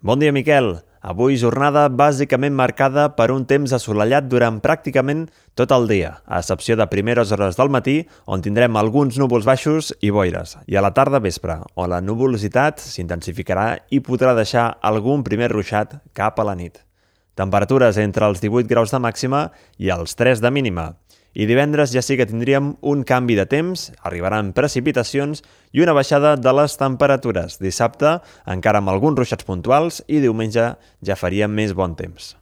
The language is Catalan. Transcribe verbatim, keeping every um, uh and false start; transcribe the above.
Bon dia, Miquel. Avui jornada bàsicament marcada per un temps assolellat durant pràcticament tot el dia, a excepció de primeres hores del matí, on tindrem alguns núvols baixos i boires, i a la tarda vespre, on la nuvolositat s'intensificarà i podrà deixar algun primer ruixat cap a la nit. Temperatures entre els divuit graus de màxima i els tres de mínima. I divendres ja sí que tindríem un canvi de temps, arribaran precipitacions i una baixada de les temperatures. Dissabte encara amb alguns ruixats puntuals i diumenge ja faria més bon temps.